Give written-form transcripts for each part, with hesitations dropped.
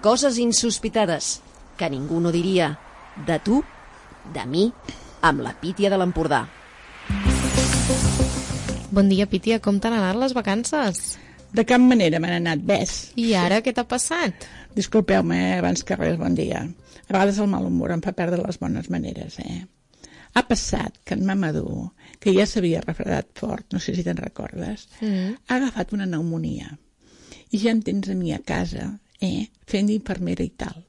Coses insospitades que ningú no diria. De tu, de mi, amb la Pítia de l'Empordà. Bon dia, Pítia. Com t'han anat les vacances? De cap manera m'han anat bès. I ara què t'ha passat? Disculpeu-me, abans que res, bon dia. A vegades el mal humor em fa perdre les bones maneres, Ha passat que en Mamadou, que ja s'havia refredat fort, no sé si te'n recordes, ha agafat una pneumònia. I ja em tens a mi a casa, fent d'infermera i tal.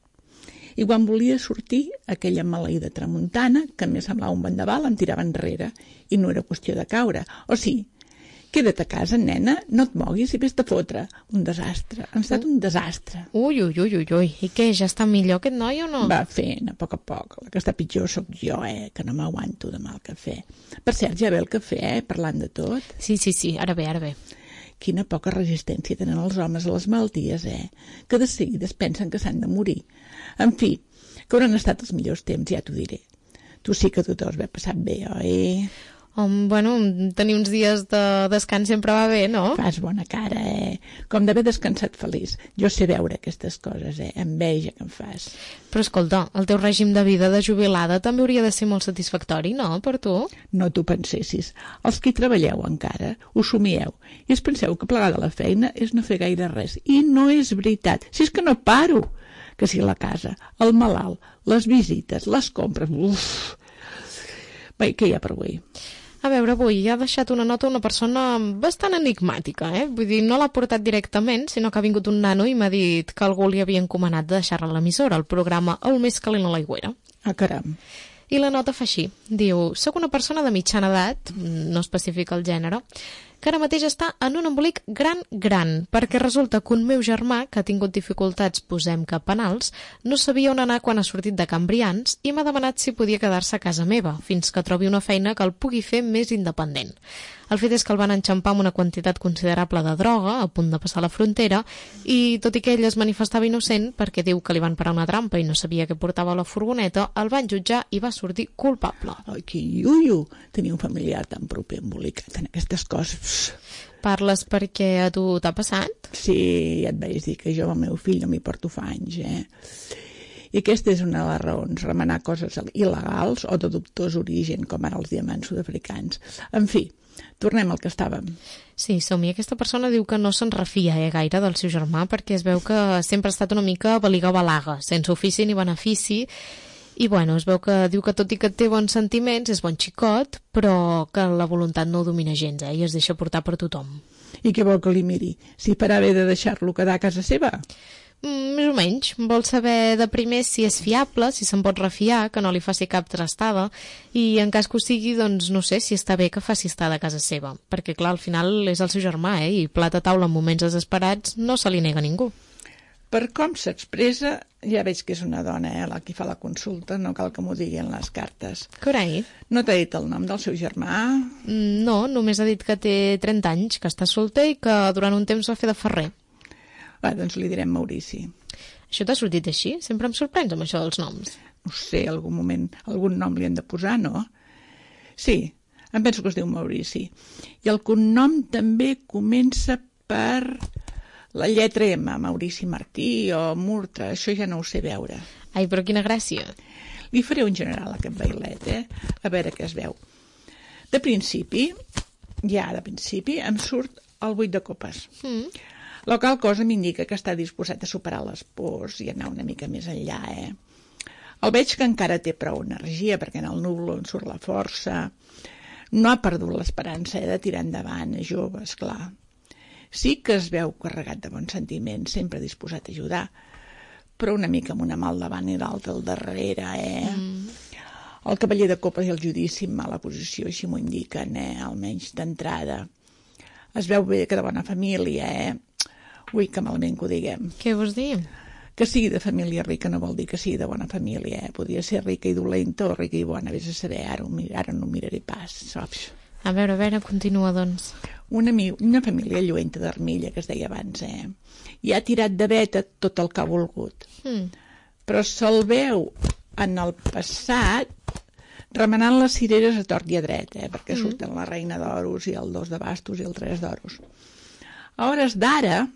I quan volia sortir, aquella maleïda tramuntana, que em semblava un vendaval, em tirava enrere. I no era qüestió de caure. O sí, queda't a casa, nena, no et moguis i vés-te a fotre. Un desastre. Ha estat un desastre. Ui. I què, ja està millor aquest noi o no? Va fent, a poc. La que està pitjor sóc jo, que no m'aguanto de mal cafè. Per cert, ja ve el cafè, parlant de tot. Sí, ara ve. Quina poca resistència tenen els homes a les malalties, que de seguida es pensen que s'han de morir. En fi, que hauran estat els millors temps, ja t'ho diré. Tu sí que t'ho has passat bé, oi? Bueno, tenir uns dies de descans sempre va bé, no? Fas bona cara, Com d'haver descansat feliç. Jo sé veure aquestes coses, enveja que em fas. Però escolta, el teu règim de vida de jubilada també hauria de ser molt satisfactori, no, per tu? No t'ho pensessis. Els que hi treballeu encara, ho somieu. I es penseu que plegar de la feina és no fer gaire res. I no és veritat. Si és que no paro. Que si la casa, el malalt, les visites, les compres... Uf! Bé, què hi ha per avui? A veure, avui ha deixat una nota una persona bastant enigmàtica, Vull dir, no l'ha portat directament, sinó que ha vingut un nano i m'ha dit que algú li havia encomanat de deixar-la a l'emissora, el programa El més calent a l'aigüera. Ah, caram. I la nota fa així. Diu, soc una persona de mitjana edat, no especifica el gènere, que ara mateix està en un embolic gran, perquè resulta que un meu germà, que ha tingut dificultats, posem que penals, no sabia on anar quan ha sortit de Can Brians i m'ha demanat si podia quedar-se a casa meva, fins que trobi una feina que el pugui fer més independent. El fet és que el van enxampar amb una quantitat considerable de droga, a punt de passar la frontera, i tot i que ell es manifestava innocent, perquè diu que li van parar una trampa i no sabia què portava a la furgoneta, el van jutjar i va sortir culpable. Ai, que iuio, tenir un familiar tan proper embolicat en aquestes coses. Parles perquè a tu t'ha passat? Sí, ja et vaig dir que jo amb el meu fill no m'hi porto fa anys, I aquesta és una de les raons, remenar coses il·legals o de dubtós origen, com ara els diamants sud-africans. En fi, tornem al que estàvem. Sí, som-hi. Aquesta persona diu que no se'n refia gaire del seu germà perquè es veu que sempre ha estat una mica baliga-balaga, sense ofici ni benefici. I bueno, es veu que diu que tot i que té bons sentiments, és bon xicot, però que la voluntat no el domina gens, i es deixa portar per tothom. I què vol que li miri? Si farà bé de deixar-lo quedar a casa seva? Més o menys. Vol saber de primer si és fiable, si se'n pot refiar, que no li faci cap trastada, i en cas que ho sigui, doncs no sé si està bé que faci estar de casa seva. Perquè, clar, al final és el seu germà, i plat a taula en moments desesperats no se li nega a ningú. Per com s'expressa, ja veig que és una dona, la que fa la consulta, no cal que m'ho digui en les cartes. Carai. No t'ha dit el nom del seu germà? No, només ha dit que té 30 anys, que està solter i que durant un temps va fer de ferrer. Doncs li direm Maurici. Això t'ha sortit així? Sempre em sorprens amb això dels noms. No sé, algun moment, algun nom li han de posar, no? Sí, em penso que es diu Maurici. I el cognom també comença per la lletra M, Maurici Martí o Murtra, això ja no ho sé veure. Ai, però quina gràcia. Li faré un general a aquest bailet, a veure què es veu. De principi, em surt el 8 de copes. La qual cosa m'indica que està disposat a superar les pors i anar una mica més enllà, El veig que encara té prou energia, perquè en el núvol on surt la força. No ha perdut l'esperança, de tirar endavant, és jove, esclar. Sí que es veu carregat de bons sentiments, sempre disposat a ajudar, però una mica amb una mà al davant i l'altra al darrere, El cavaller de copes i el judici en mala posició, així m'ho indiquen, almenys d'entrada. Es veu bé que de bona família, Ui, que malament que ho diguem. Què vols dir? Que sigui de família rica no vol dir que sigui de bona família, Podria ser rica i dolenta o rica i bona, vés a saber, ara no ho miraré pas, saps? A veure, continua, doncs. Una família lluenta d'armilla, que es deia abans, I ha tirat de veta tot el que ha volgut. Però se'l veu en el passat remenant les cireres a tort i a dret, perquè surten la reina d'oros i el 2 de bastos i el 3 d'oros. A hores d'ara,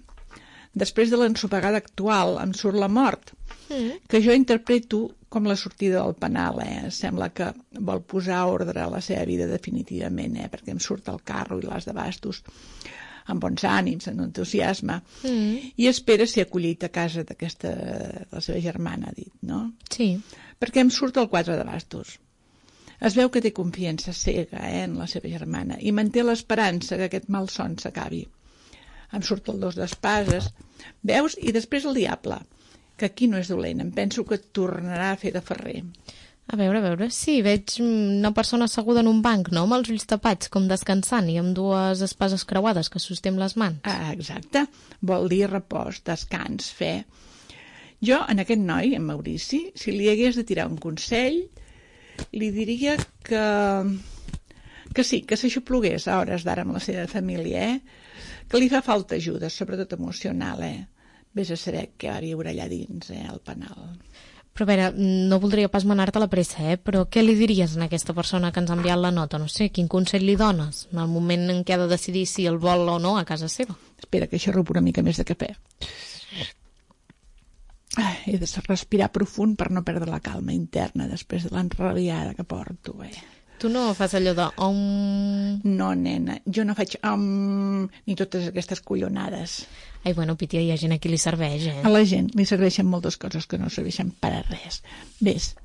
després de l'ensopegada actual em surt la mort, que jo interpreto com la sortida del penal, Sembla que vol posar ordre a la seva vida definitivament, perquè em surt el carro i l'as de bastos amb bons ànims, amb entusiasme, i espera ser acollit a casa de la seva germana, ha dit, no? Sí. Perquè em surt el 4 de bastos. Es veu que té confiança cega en la seva germana i manté l'esperança que aquest malson s'acabi. Em surt el 2 d'espases, veus? I després el diable, que aquí no és dolent, em penso que tornarà a fer de ferrer. A veure, sí, veig una persona asseguda en un banc, no?, amb els ulls tapats, com descansant, i amb dues espases creuades que sosté amb les mans. Ah, exacte, vol dir repòs, descans, fe. Jo, en aquest noi, en Maurici, si li hagués de tirar un consell, li diria que sí, que s'aixoplugués a hores d'ara amb la seva família, que li fa falta ajuda, sobretot emocional, Vés a saber què va viure allà dins, al penal. Però a veure, no voldria pas manar-te la pressa, però què li diries a aquesta persona que ens ha enviat la nota? No sé, quin consell li dones en el moment en què ha de decidir si el vol o no a casa seva? Espera, que xerro una mica més de cafè. He de respirar profund per no perdre la calma interna després de l'enrabiada que porto, Tu no fas allò de... No, nena, jo no faig ni totes aquestes collonades. Ai, bueno, Pítia, hi ha gent a qui li serveix, A la gent li serveixen moltes coses que no serveixen per a res. Ves,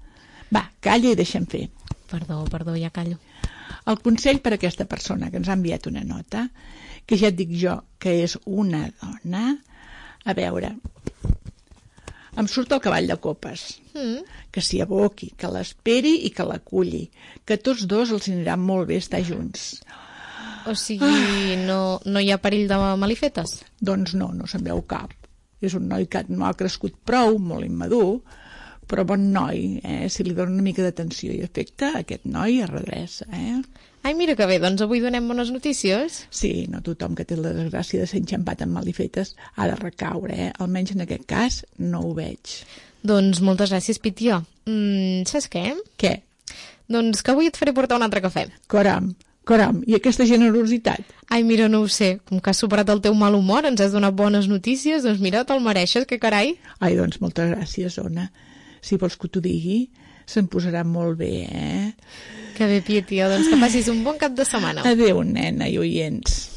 va, calla i deixa'm fer. Perdó, ja callo. El consell per a aquesta persona que ens ha enviat una nota, que ja et dic jo que és una dona, a veure... Em surt el cavall de copes, que s'hi aboqui, que l'esperi i que l'aculli, que tots dos els anirà molt bé estar junts. O sigui, no hi ha perill de malifetes? Doncs no se'n veu cap. És un noi que no ha crescut prou, molt immadur, però bon noi, si li dona una mica d'atenció i afecte, aquest noi es redreça, Ai, mira que bé, doncs avui donem bones notícies. Sí, no tothom que té la desgràcia de ser enxampat amb malifetes ha de recaure, Almenys en aquest cas no ho veig. Doncs moltes gràcies, Pítia. Saps què? Què? Doncs que avui et faré portar un altre cafè. Caram, i aquesta generositat? Ai, mira, no ho sé, com que has superat el teu mal humor, ens has donat bones notícies, doncs mira, te'l mereixes, que carai. Ai, doncs moltes gràcies, Ona. Si vols que t'ho digui, se'n posarà molt bé, Que bé, Pítia, doncs que passis un bon cap de setmana. Adéu, nena i oients.